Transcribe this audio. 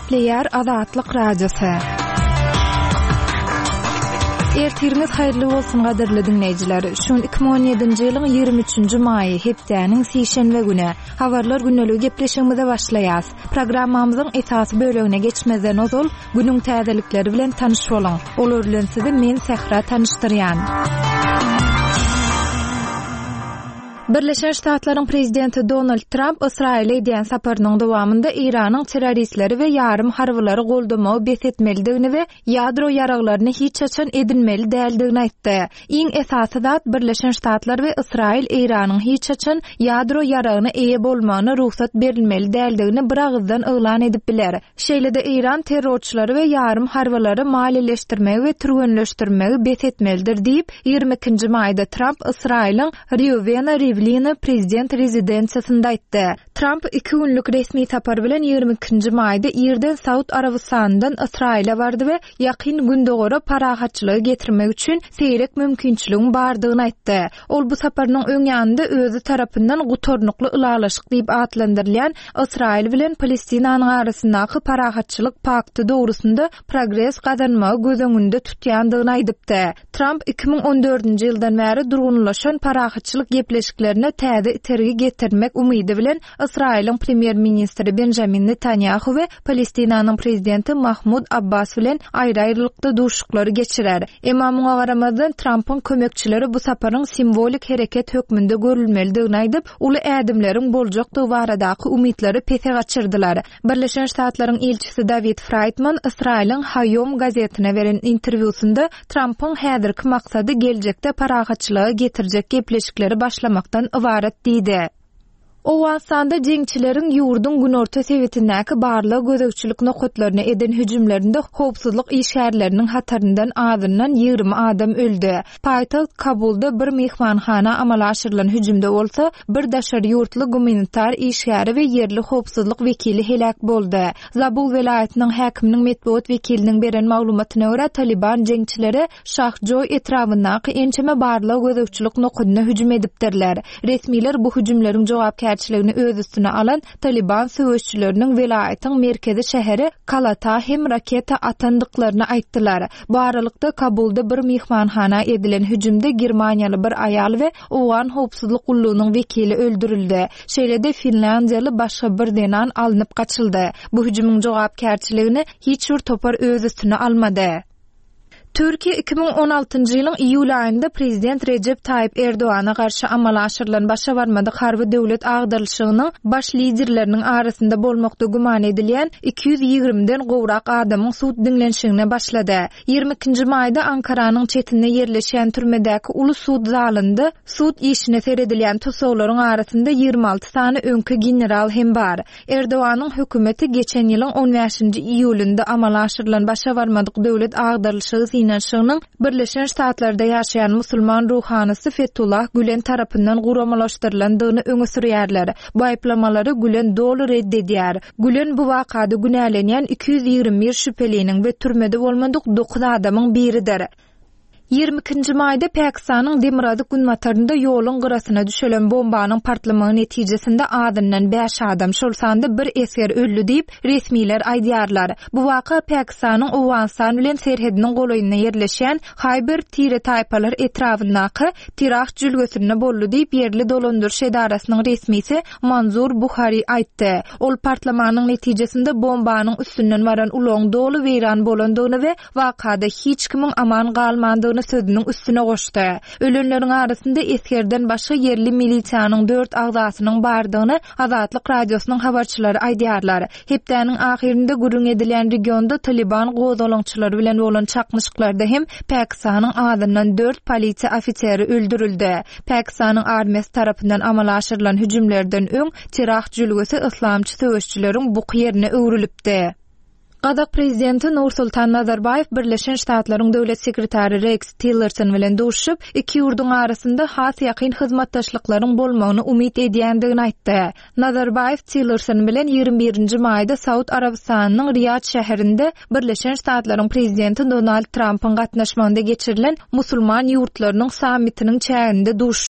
Gepleýär Azatlyk Radiosy. Ertiriňiz haýyrly bolsun gadyrly diňleýjiler. Şu gün 2017-nji ýylyň 23-nji maýy, hepdäniň sişenbe güni. Habarlar gündeligi gepleşigimize başlaýas. Programmamyzyň esasy bölegine geçmezden ozal, günüň täzelikleri bilen tanyş boluň. Olar bilen sizi men Sähra tanyşdyrýan. Birleşen Ştatlaryň prezidenti Donald Tramp Ysraýyla edýän saparynyň dowamynda Eýranyň terroristleri we ýarym harbylary goldamagy bes etmelidigini we ýadro ýaraglaryny hiç haçan edinmeli däldigini aýtdy. Iň esasy zat, Birleşen Ştatlar we Ysraýyl Eýranyň hiç haçan ýadro ýaragyna eýe bolmagyna rugsat berilmeli däldigini biragyzdan yglan edip biler. Şeýle-de Eýran terrorçylary we ýarym harbylary maliýeleşdirmegi we türgenleşdirmegi bes etmelidir diýip, 22-nji maýda Tramp Ysraýylyň Rýuwena Riwlina prezident rezidensiýasynda aýtdy. Tramp iki günlük resmi sapar bilen 22-nji maýda irden Saud Arabystanyndan Ysraýyla bardy we Ýakyn Gündogara parahatçylygy getirmek üçin seýrek mümkinçiligiň bardygyny aýtdy. Ol bu saparynyň öň ýanynda özi tarapyndan gutarnykly ylalaşyk diýip atlandyrylýan Ysraýyl bilen Palestinanyň arasyndaky parahatçylyk pakty dogrusynda progres gazanmagy göz öňünde tutýandygyny aýdypdy. Tramp 2014-nji ýyldan bäri durgunlaşan parahatçylyk gepleşiklerine täze itergi getirmek umydy bilen Ysraýylyň premýer-ministri Benjamin Netanýahu we Palestinanyň prezidenti Mahmud Abbas bilen aýry-aýrylykda duşuşyklary geçirer. Emma muňa garamazdan, Trampyň kömekçileri bu saparyň simwolik hereket hökmünde görülmelidigini aýdyp, uly ädimleriň boljakdygy baradaky umytlary pese gaçyrdylar. Birleşen Ştatlaryň ilçisi Dawid Fraýdman Ysraýylyň Haýom gazetine beren interwýusynda Trampyň häzirki maksady geljekde parahatçylyga getirjek gepleşikleri başlamakdan ybarat diýdi. Owganystanda jeňçileriň ýurduň günorta sebitindäki barlag-gözegçilik nokatlaryna eden hüjümlerinde howpsuzlyk işgärleriniň hataryndan azyndan 20 adam öldi. Paýtagt Kabulda bir myhmanhana amala aşyrylan hüjümde bolsa, bir daşary ýurtly gumanitar işgäri we ýerli howpsuzlyk wekili heläk boldy. Zabul welaýatynyň häkiminiň metbugat wekiliniň beren maglumatyna görä, Talyban jeňçileri Şahjoý etrabyndaky ençeme barlag-gözegçilik nokadyna hüjüm edipdirler. Resmiler bu hüjümleriň jogapkärçiligini öz üstüne alan Talyban söweşçileriniň welaýatyň merkezi şäheri Kalata hem raketa atandyklaryny aýtdylar. Bu aralykda, Kabulda bir myhmanhana edilen hüjümde germaniýaly bir aýal we owgan howpsuzlyk gullugynyň wekili öldürildi. Şeýle-de finlýandiýaly başga bir zenan alnyp gaçyldy. Bu hüjümiň jogapkärçiligini hiç bir topar öz üstüne almady. Türkiýe 2016-njy ýylyň iýul aýynda prezident Rejep Taýyp Erdogana garşy amala aşyrylan başa barmadyk harby döwlet agdarylyşygynyň baş liderleriniň arasynda bolmakda güman edilýän 220-den gowrak adamyň sud diňlenişigine başlady. 22-nji maýda Ankaranyň çetinde ýerleşýän türmedäki uly sud zalynda sud işine seredilýän tussaglaryň arasynda 26 sany öňki general hem bar. Erdoganyň hökümeti geçen ýylyň on bäşinji iýulynda amala aşyrylan başa barmadyk döwlet agdarylyşygy synanyşygynyň Birleşen Ştatlarda ýaşaýan musulman ruhanysy Fetullah Gülen tarapyndan guramalaşdyrylandygyny öňe sürýärler. Bu aýyplamalary Gülen doly red edýär. Gülen bu wakada günälenýän 221 şübheliniň we türmede bolmadyk dokuz adamyň biridir. 22-nji maýda Pakistanyň demirgazyk-günbatarynda ýoluň gyrasyna düşelen bombanyň partlamagy netijesinde azyndan bäş adam, şol sanda bir esger öldi diýip, resmiler aýdýarlar. Bu waka Pakistanyň Owganystan bilen serhediniň golaýynda ýerleşýän Haýber tire-taýpalar etrabyndaky Tirah jülgesinde boldy diýip, ýerli dolandyryş edarasynyň resmisi Manzur Buhari aýtdy. Ol partlamanyň netijesinde bombanyň üstünden baran ulagyň doly weýran bolandygyny we Wakada hiç kimiň aman galmandygyny sözüniň üstüne goşdy. Ölenleriň arasynda esgerden başga ýerli milisiýanyň dört agzasynyň bardygyny Azatlyk Radiosynyň habarçylary aýdýarlar. Hepdäniň ahyrynda gürrüň edilýän regionda Talyban gozgalaňçylary bilen bolan çaknyşyklarda hem Pakistanyň azyndan dört polisiýa ofiseri öldürildi. Pakistanyň armiýasy tarapyndan amala aşyrylan hüjümlerden öň Tirah jülgesi yslamçy söweşçileriň buky ýerine öwrülipdi. Gazak prezidenti Nursultan Nazarbaýew Birleşen Ştatlaryň döwlet sekretary Reks Tillerson bilen duşuşyp, iki ýurduň arasynda has ýakyn hyzmatdaşlyklaryň bolmagyny umyt edýändigini aýtdy. Nazarbaýew Tillerson bilen 21-nji maýda Saud Arabystanynyň Riýad şäherinde Birleşen Ştatlaryň prezidenti Donald Trampyň gatnaşmagynda geçirilen musulman ýurtlarynyň sammitiniň çäginde duşuşdy.